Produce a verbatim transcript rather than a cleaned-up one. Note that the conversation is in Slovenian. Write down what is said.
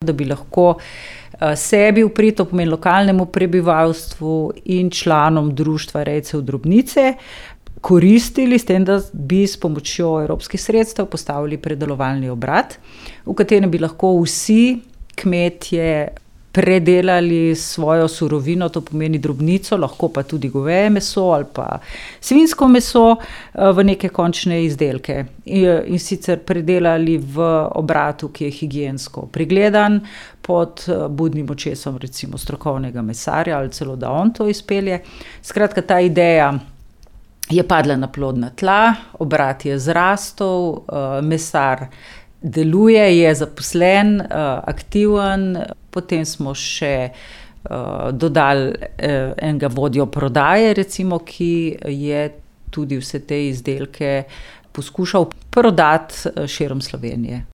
Da bi lahko sebi v prid, to pomeni lokalnemu prebivalstvu in članom društva rejcev drobnice, koristili s tem, da bi s pomočjo evropskih sredstev postavili predelovalni obrat, v katerem bi lahko vsi kmetje predelali svojo surovino, to pomeni drobnico, lahko pa tudi goveje meso ali pa svinjsko meso, v neke končne izdelke. In sicer predelali v obratu, ki je higiensko pregledan, pod budnim očesom recimo strokovnega mesarja ali celo, da on to izpelje. Skratka, ta ideja je padla na plodna tla, obrat je zrastel, mesar deluje, je zaposlen, aktiven, potem smo še dodali enega vodjo prodaje, recimo, ki je tudi vse te izdelke poskušal prodati širom Slovenije.